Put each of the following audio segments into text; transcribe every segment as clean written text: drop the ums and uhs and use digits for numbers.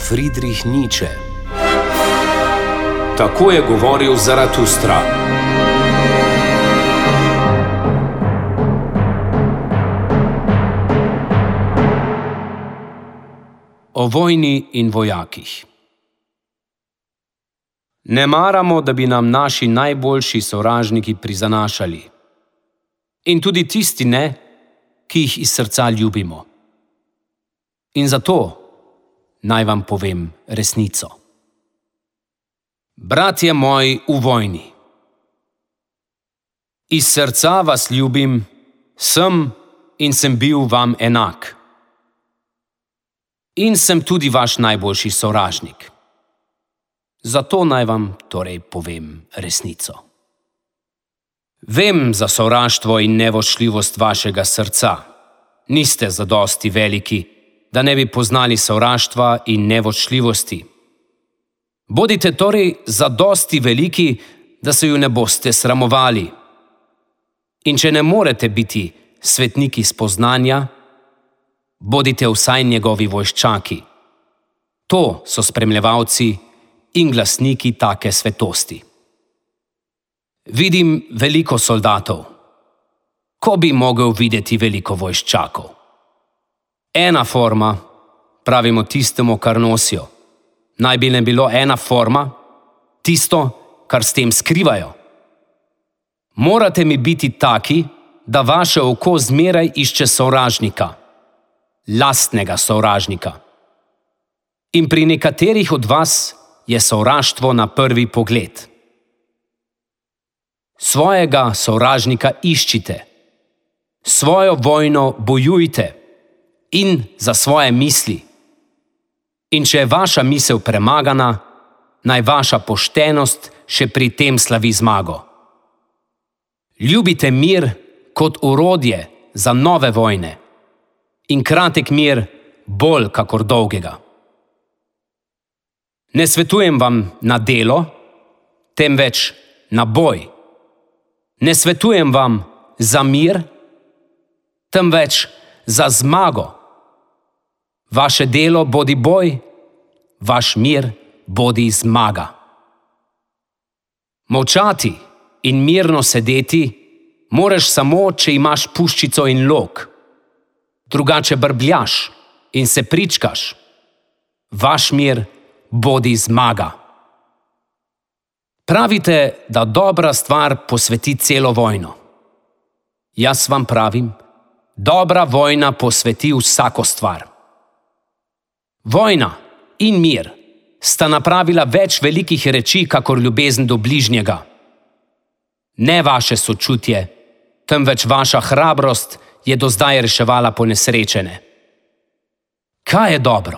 Friedrich Nietzsche. Tako je govoril Zaratustra. O vojni in vojakih. Ne maramo, da bi nam naši najboljši sovražniki prizanašali. In tudi tisti ne, ki jih iz srca ljubimo. In zato naj vam povem resnico. Bratje moji v vojni. Iz srca vas ljubim, sem in sem bil vam enak. In sem tudi vaš najboljši sovražnik. Zato naj vam torej povem resnico. Vem za sovraštvo in nevoščljivost vašega srca. Niste zadosti veliki, da ne bi poznali sovraštva in nevoščljivosti. Bodite torej zadosti veliki, da se ju ne boste sramovali. In če ne morete biti svetniki spoznanja, bodite vsaj njegovi vojščaki. To so spremljevalci in glasniki take svetosti. Vidim veliko soldatov. Ko bi mogel videti veliko vojščakov? Ena forma, pravimo tistemu, kar nosijo. Naj bi ne bilo ena forma, tisto, kar s tem skrivajo. Morate mi biti taki, da vaše oko zmeraj išče sovražnika. Lastnega sovražnika. In pri nekaterih od vas je sovraštvo na prvi pogled. Svojega sovražnika iščite. Svojo vojno bojujte. In za svoje misli. In če je vaša misel premagana, naj vaša poštenost še pri tem slavi zmago. Ljubite mir kot orodje za nove vojne. In kratek mir bolj kakor dolgega. Ne svetujem vam na delo, temveč na boj. Ne svetujem vam za mir, temveč za zmago. Vaše delo bodi boj, vaš mir bodi zmaga. Molčati in mirno sedeti moraš samo, če imaš puščico in lok. Drugače brbljaš in se pričkaš. Vaš mir bodi zmaga. Pravite, da dobra stvar posveti celo vojno. Jaz vam pravim, dobra vojna posveti vsako stvar. Vojna in mir sta napravila več velikih reči, kakor ljubezen do bližnjega. Ne vaše sočutje, temveč vaša hrabrost je do zdaj reševala ponesrečene. Kaj je dobro?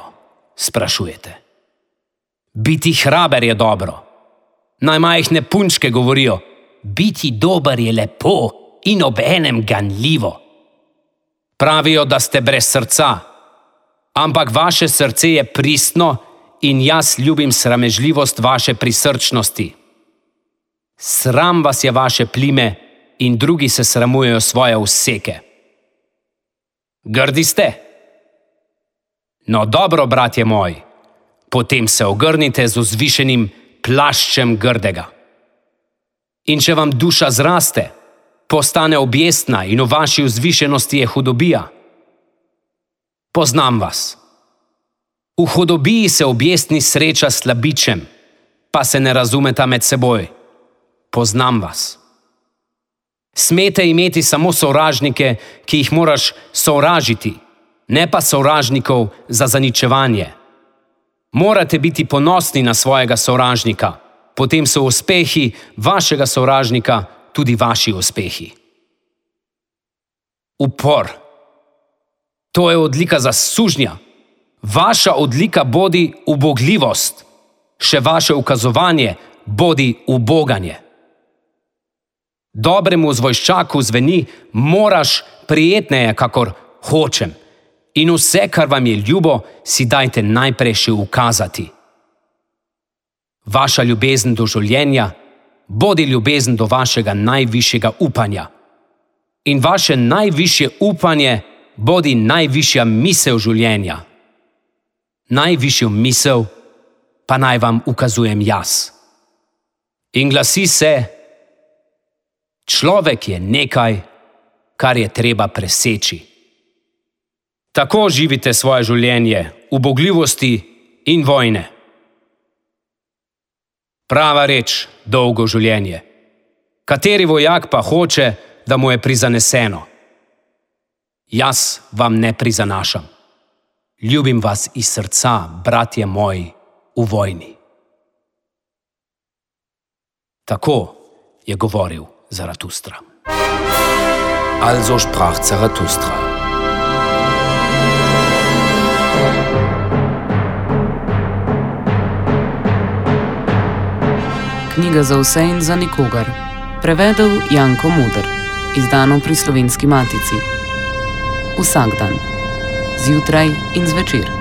Sprašujete. Biti hraber je dobro. Najmajhne punčke govorijo, biti dober je lepo in obenem ganljivo. Pravijo, da ste brez srca, ampak vaše srce je pristno in jaz ljubim sramežljivost vaše prisrčnosti. Sram vas je vaše plime in drugi se sramujejo svoje useke. Grdi ste? No dobro, bratje moji, potem se ogrnite z vzvišenim plaščem grdega. In če vam duša zraste, postane objestna in v vaši vzvišenosti je hudobija. Poznam vas. V hudobiji se objestni sreča s slabičem, pa se ne razumeta med seboj. Poznam vas. Smete imeti samo sovražnike, ki jih moraš sovražiti, ne pa sovražnikov za zaničevanje. Morate biti ponosni na svojega sovražnika, potem so uspehi vašega sovražnika tudi vaši uspehi. Upor. To je odlika za sužnja. Vaša odlika bodi ubogljivost. Še vaše ukazovanje bodi uboganje. Dobremu zvojščaku zveni, moraš prijetneje, kakor hočem. In vse, kar vam je ljubo, si dajte najprej še ukazati. Vaša ljubezen do življenja bodi ljubezen do vašega najvišjega upanja. In vaše najvišje upanje bodi najvišja misel življenja. najvišjo misel pa naj vam ukazujem jaz. In glasi se: človek je nekaj, kar je treba preseči. Tako živite svoje življenje ubogljivosti in vojne. Prava reč, dolgo življenje. Kateri vojak pa hoče, da mu je prizaneseno? Jaz vam ne prizanašam. Ljubim vas iz srca, bratje moji, v vojni. Tako je govoril Zaratustra. Also sprach Zaratustra. Knjiga za vse in za nikogar. Prevedel Janko Moder. Izdano pri Slovenski matici. Vsak dan. Zjutraj in zvečer.